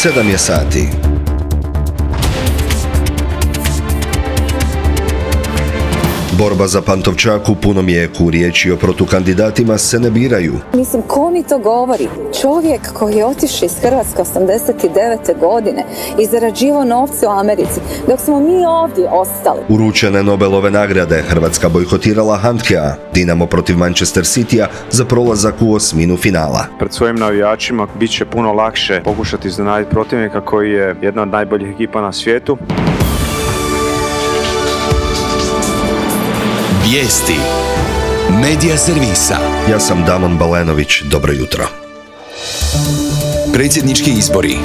7 je sati. Borba za Pantovčak u punom jeku, riječi o protukandidatima se ne biraju. Mislim, ko mi to govori? Čovjek koji je otišao iz Hrvatske 89. godine i zarađivao novce u Americi, dok smo mi ovdje ostali. Uručene Nobelove nagrade, Hrvatska bojkotirala Handkea, Dinamo protiv Manchester Citya za prolazak u osminu finala. Pred svojim navijačima bit će puno lakše pokušati iznenaditi protivnika koji je jedna od najboljih ekipa na svijetu. Vijesti Medija servisa. Ja sam Damon Balenović, dobro jutro. Predsjednički izbori.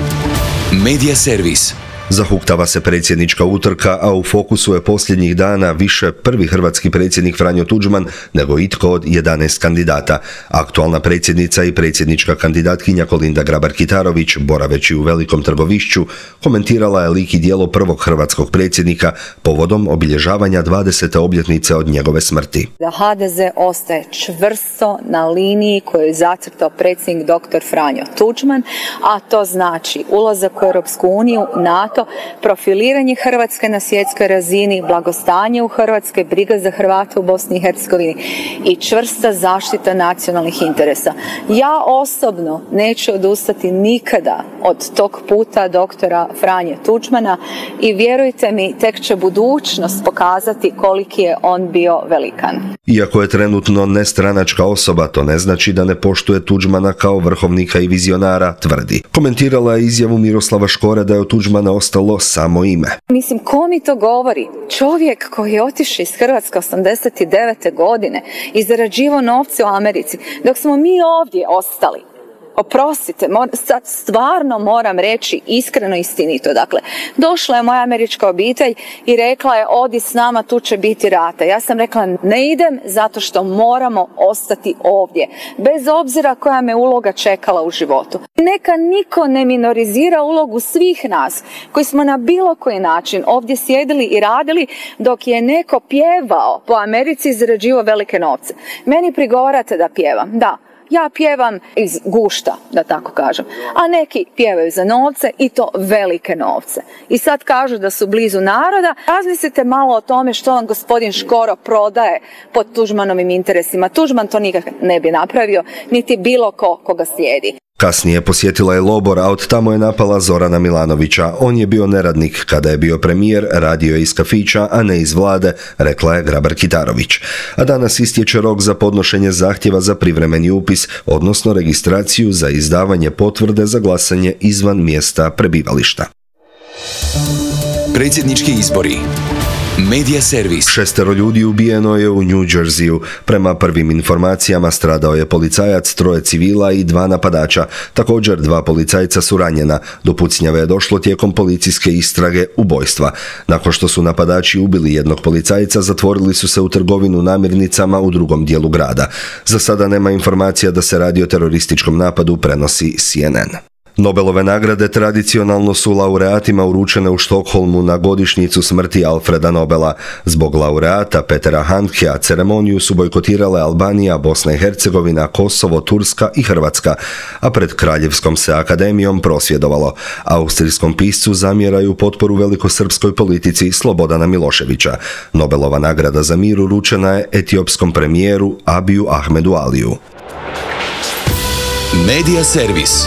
Medija servis. Zahuktava se predsjednička utrka, a u fokusu je posljednjih dana više prvi hrvatski predsjednik Franjo Tuđman nego itko od 11 kandidata. Aktualna predsjednica i predsjednička kandidatkinja Kolinda Grabar-Kitarović, boraveći u Velikom Trgovišću, komentirala je lik i djelo prvog hrvatskog predsjednika povodom obilježavanja 20. obljetnice od njegove smrti. Da HDZ ostaje čvrsto na liniji koju je zacrtao predsjednik dr. Franjo Tuđman, a to znači ulazak u Europsku uniju, NATO, profiliranje Hrvatske na svjetskoj razini, blagostanje u Hrvatskoj, briga za Hrvate u Bosni i Hercegovini i čvrsta zaštita nacionalnih interesa. Ja osobno neću odustati nikada od tog puta doktora Franje Tuđmana i vjerujte mi, tek će budućnost pokazati koliki je on bio velikan. Iako je trenutno nestranačka osoba, to ne znači da ne poštuje Tuđmana kao vrhovnika i vizionara, tvrdi. Komentirala je izjavu Miroslava Škore da je od Tuđmana ostalo samo ime. Mislim, ko mi to govori? Čovjek koji je otišao iz Hrvatske 89. godine i zarađivao novce u Americi, dok smo mi ovdje ostali. Oprostite, sad stvarno moram reći iskreno i istinito. Dakle, došla je moja američka obitelj i rekla je odi s nama, tu će biti rata. Ja sam rekla ne idem zato što moramo ostati ovdje. Bez obzira koja me uloga čekala u životu. Neka niko ne minorizira ulogu svih nas koji smo na bilo koji način ovdje sjedili i radili dok je neko pjevao po Americi i zarađivao velike novce. Meni prigovarate da pjevam, da. Ja pjevam iz gušta, da tako kažem, a neki pjevaju za novce i to velike novce. I sad kažu da su blizu naroda. Razmislite malo o tome što vam gospodin Škoro prodaje pod Tuđmanovim interesima. Tuđman to nikak ne bi napravio, niti bilo koga slijedi. Kasnije posjetila je Lobor, a od tamo je napala Zorana Milanovića. On je bio neradnik. Kada je bio premijer, radio je iz kafića, a ne iz vlade, rekla je Grabar-Kitarović. A danas istječe rok za podnošenje zahtjeva za privremeni upis, odnosno registraciju za izdavanje potvrde za glasanje izvan mjesta prebivališta. Predsjednički izbori. Medija servis. 6 ljudi ubijeno je u New Jerseyu. Prema prvim informacijama stradao je policajac, 3 civila i 2 napadača. Također 2 policajca su ranjena. Do pucnjave je došlo tijekom policijske istrage ubojstva. Nakon što su napadači ubili jednog policajca, zatvorili su se u trgovinu namirnicama u drugom dijelu grada. Za sada nema informacija da se radi o terorističkom napadu, prenosi CNN. Nobelove nagrade tradicionalno su laureatima uručene u Štokholmu na godišnjicu smrti Alfreda Nobela. Zbog laureata Petera Handkea ceremoniju su bojkotirale Albanija, Bosna i Hercegovina, Kosovo, Turska i Hrvatska, a pred Kraljevskom se akademijom prosvjedovalo. Austrijskom piscu zamjeraju potporu velikosrpskoj politici Slobodana Miloševića. Nobelova nagrada za mir uručena je etiopskom premijeru Abiju Ahmedu Aliju. Medija servis.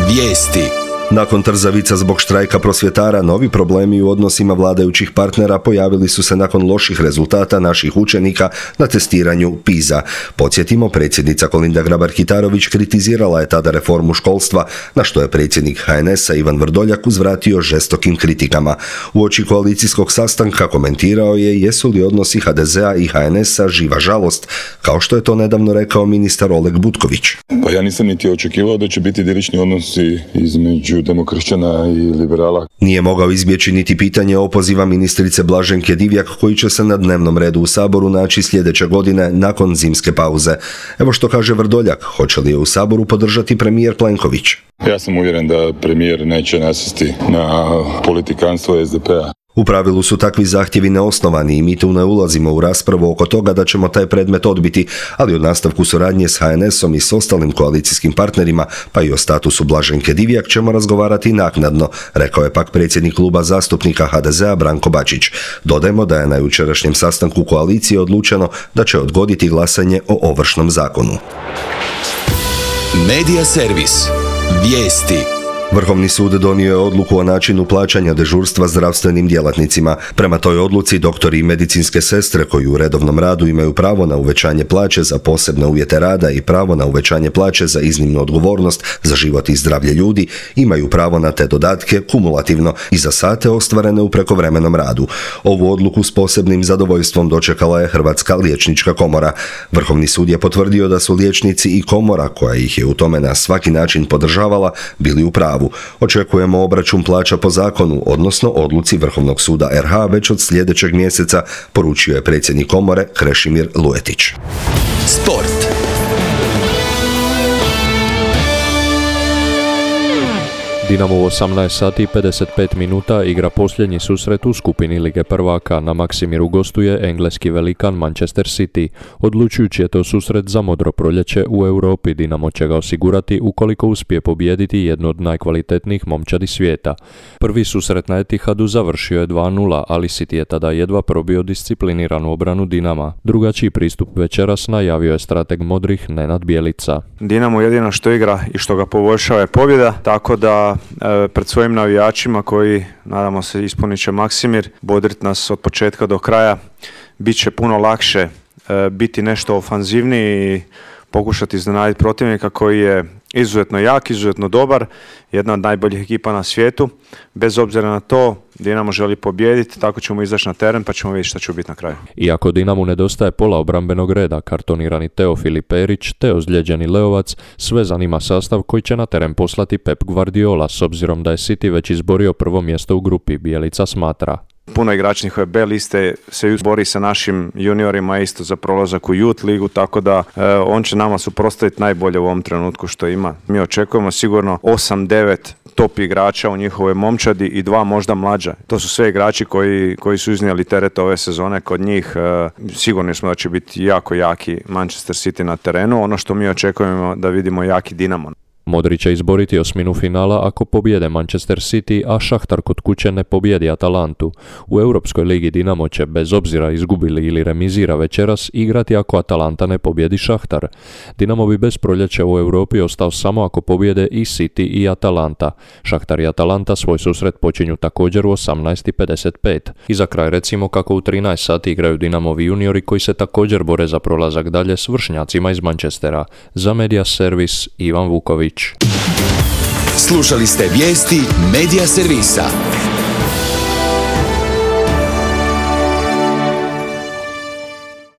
Vijesti. Nakon trzavica zbog štrajka prosvjetara, novi problemi u odnosima vladajućih partnera pojavili su se nakon loših rezultata naših učenika na testiranju PISA. Podsjetimo, predsjednica Kolinda Grabar-Kitarović kritizirala je tada reformu školstva, na što je predsjednik HNS-a Ivan Vrdoljak uzvratio žestokim kritikama. Uoči koalicijskog sastanka komentirao je jesu li odnosi HDZ-a i HNS-a živa žalost, kao što je to nedavno rekao ministar Oleg Butković. Pa ja nisam niti očekivao da će biti idilični odnosi između demokršćana i liberala. Nije mogao izbjeći niti pitanje opoziva ministrice Blaženke Divjak, koji će se na dnevnom redu u Saboru naći sljedeće godine nakon zimske pauze. Evo što kaže Vrdoljak, hoće li je u Saboru podržati premijer Plenković? Ja sam uvjeren da premijer neće nasjesti na politikanstvo SDP-a. U pravilu su takvi zahtjevi neosnovani i mi tu ne ulazimo u raspravu oko toga da ćemo taj predmet odbiti, ali o nastavku suradnje s HNS-om i s ostalim koalicijskim partnerima, pa i o statusu Blaženke Divjak ćemo razgovarati naknadno, rekao je pak predsjednik kluba zastupnika HDZ-a Branko Bačić. Dodajmo da je na jučerašnjem sastanku koalicije odlučeno da će odgoditi glasanje o Ovršnom zakonu. Medija servis. Vijesti. Vrhovni sud donio je odluku o načinu plaćanja dežurstva zdravstvenim djelatnicima. Prema toj odluci doktori i medicinske sestre koji u redovnom radu imaju pravo na uvećanje plaće za posebne uvjete rada i pravo na uvećanje plaće za iznimnu odgovornost za život i zdravlje ljudi imaju pravo na te dodatke kumulativno i za sate ostvarene u prekovremenom radu. Ovu odluku s posebnim zadovoljstvom dočekala je Hrvatska liječnička komora. Vrhovni sud je potvrdio da su liječnici i komora, koja ih je u tome na svaki način podržavala, bili u pravu. Očekujemo obračun plaća po zakonu, odnosno odluci Vrhovnog suda RH već od sljedećeg mjeseca, poručio je predsjednik komore Krešimir Luetić. Sport. Dinamo u 18 sati i 55 minuta igra posljednji susret u skupini Lige prvaka. Na Maksimiru gostuje engleski velikan Manchester City. Odlučujući je to susret za modro proljeće u Europi. Dinamo će ga osigurati ukoliko uspije pobijediti jednu od najkvalitetnijih momčadi svijeta. Prvi susret na Etihadu završio je 2:0, ali City je tada jedva probio discipliniranu obranu Dinama. Drugačiji pristup večeras najavio je strateg modrih Nenad Bjelica. Dinamo jedino što igra i što ga poboljšava je pobjeda, tako da pred svojim navijačima koji, nadamo se, ispunit će Maksimir, bodrit nas od početka do kraja, bit će puno lakše biti nešto ofanzivniji i pokušati iznenaditi protivnika koji je izuzetno jak, izuzetno dobar, jedna od najboljih ekipa na svijetu. Bez obzira na to, Dinamo želi pobijediti, tako ćemo izaći na teren pa ćemo vidjeti šta će biti na kraju. Iako Dinamu nedostaje pola obrambenog reda, kartonirani Teofili Perić te ozlijeđeni Leovac, sve zanima sastav koji će na teren poslati Pep Guardiola, s obzirom da je City već izborio prvo mjesto u grupi, Bjelica smatra. Puno igrača njihove B liste se bori sa našim juniorima isto za prolazak u Youth ligu, tako da on će nama suprotstaviti najbolje u ovom trenutku što ima. Mi očekujemo sigurno 8-9 top igrača u njihovoj momčadi i 2 možda mlađa. To su sve igrači koji su iznijeli teret ove sezone kod njih. Sigurni smo da će biti jako jaki Manchester City na terenu. Ono što mi očekujemo da vidimo jaki Dinamo. Modri će izboriti osminu finala ako pobjede Manchester City, a Šahtar kod kuće ne pobjedi Atalantu. U Europskoj ligi Dinamo će, bez obzira izgubili ili remizira večeras, igrati ako Atalanta ne pobjedi Šahtar. Dinamo bi bez proljeća u Europi ostao samo ako pobjede i City i Atalanta. Šahtar i Atalanta svoj susret počinju također u 18:55. I za kraj recimo kako u 13 sati igraju Dinamovi juniori koji se također bore za prolazak dalje s vršnjacima iz Manchestera. Za Medija servis Ivan Vuković. Slušali ste vijesti Medija servisa.